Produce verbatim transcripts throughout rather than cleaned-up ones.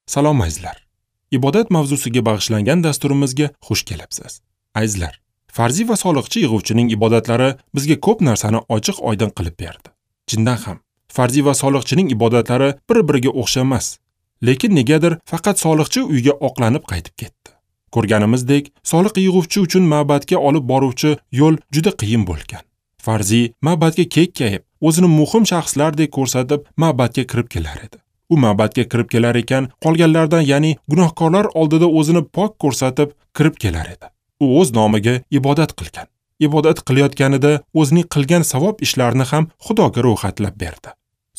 Salom azizlar. Ibodat mavzusiga bag'ishlangan dasturimizga xush kelibsiz. Azizlar, farziy va soliqchi yig'uvchining ibodatlari bizga ko'p narsani ochiq oydin qilib berdi. Chindan ham, farziy va soliqchining ibodatlari bir-biriga o'xshamas. Lekin negadir faqat soliqchi uyga oqlanib qaytib ketdi. Ko'rganimizdek, soliq yig'uvchi uchun ma'badga olib boruvchi yo'l juda qiyin bo'lgan. Farziy ma'badga kekkayib, o'zini muhim shaxslardek ko'rsatib ma'badga kirib kelar edi. U ma'badga kirib kelar ekan, qolganlardan, ya'ni gunohkorlar oldida o'zini pok ko'rsatib kirib kelar edi. U o'z nomiga ibodat qilgan. Ibodat qilayotganida o'zining qilgan savob ishlarini ham Xudoga ro'yxatlab berdi.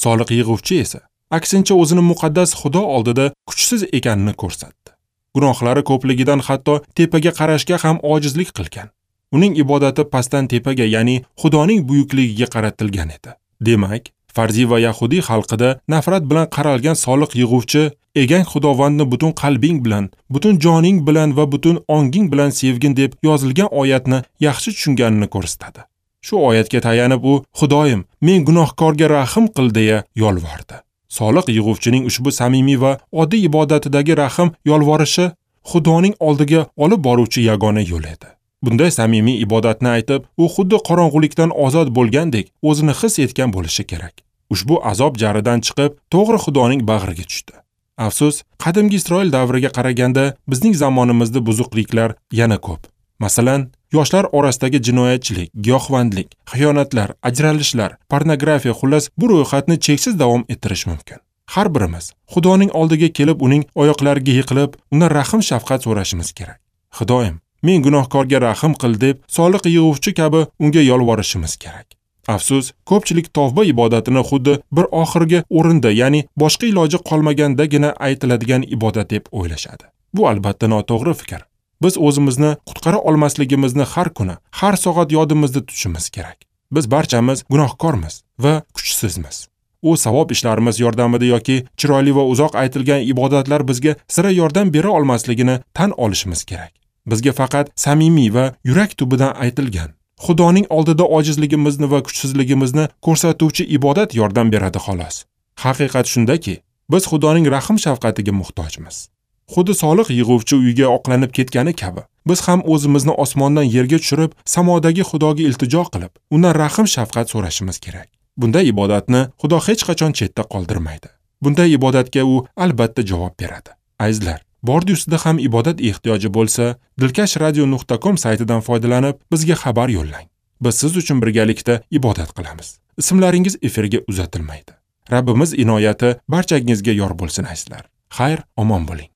Soliq yig'uvchi esa aksincha o'zini muqaddas Xudo oldida kuchsiz ekanini ko'rsatdi. Gunohlari ko'pligidan hatto tepaga qarashga ham ojizlik qilgan. Uning ibodati pastdan tepaga, ya'ni Xudoning buyukligiga qaratilgan edi. Demak, farziy va yahudiy xalqida nafrat bilan qaralgan soliq yig'uvchi egang Xudovandni butun qalbing bilan, butun joning bilan va butun onging bilan sevgin deb yozilgan oyatni yaxshi tushunganini ko'rsatadi. Shu oyatga tayanib u Xudoyim, men gunohkorga rahm qil deya yolvordi. Soliq yig'uvchining ushbu samimiy va oddiy ibodatidagi rahm yolvorishi Xudoning oldiga olib boruvchi yagona yo'l edi. Bunday samimiy ibodatni aytib, u xuddi qorong'ulikdan ozod bo'lgandek o'zini his etgan bo'lishi kerak. Ushbu azob jaridan chiqib, to'g'ri Xudoning bag'riga tushdi. Afsus, qadimgi Isroil davriga qaraganda bizning zamonimizda buzuqliklar yana ko'p. Masalan, yoshlar orasidagi jinoyatchilik, giyohvandlik, xiyonatlar, ajralishlar, pornografiya, xullas bu ro'yxatni cheksiz davom ettirish mumkin. Har birimiz Xudoning oldiga kelib, uning oyoqlariga yiqilib, undan rahm shafqat so'rashimiz kerak. Xudoyim, men gunohkorga rahm qil deb soliq yig'uvchi kabi unga yolvorishimiz kerak. Afsus, ko'pchilik tavba ibodatini xuddi bir oxirgi o'rinda, ya'ni boshqa iloji qolmagandagina aytiladigan ibodat deb o'ylashadi. Bu albatta noto'g'ri fikr. Biz o'zimizni qutqara olmasligimizni har kuni, har soat yodimizda tutishimiz kerak. Biz barchamiz gunohkormiz va kuchsizmiz. U savob ishlarimiz yordamida yoki chiroyli va uzoq aytilgan ibodatlar bizga sira yordam bera olmasligini tan olishimiz kerak. Bizga faqat samimiy va yurak tubidan aytilgan, Xudoning oldida ojizligimizni va kuchsizligimizni ko'rsatuvchi ibodat yordam beradi xolos. Haqiqat shundaki, biz Xudoning rahm shafqatiga muhtojmiz. Xuddi soliq yig'uvchi uyga oqlanib ketgani kabi, biz ham o'zimizni osmondan yerga tushirib, samodagi Xudoga iltijo qilib, undan rahm shafqat so'rashimiz kerak. Bunday ibodatni Xudo hech qachon chetda qoldirmaydi. Bunday ibodatga u albatta javob beradi. Azizlar, bordi ustida ham ibodat ehtiyoji bo'lsa, dilkash radio nuqta com saytidan foydalanib, bizga xabar yo'llang. Biz siz uchun birgalikda ibodat qilamiz. Ismlaringiz efirga uzatilmaydi. Rabbimiz inoyati barchangizga yor bo'lsin azizlar. Xayr, omon bo'ling.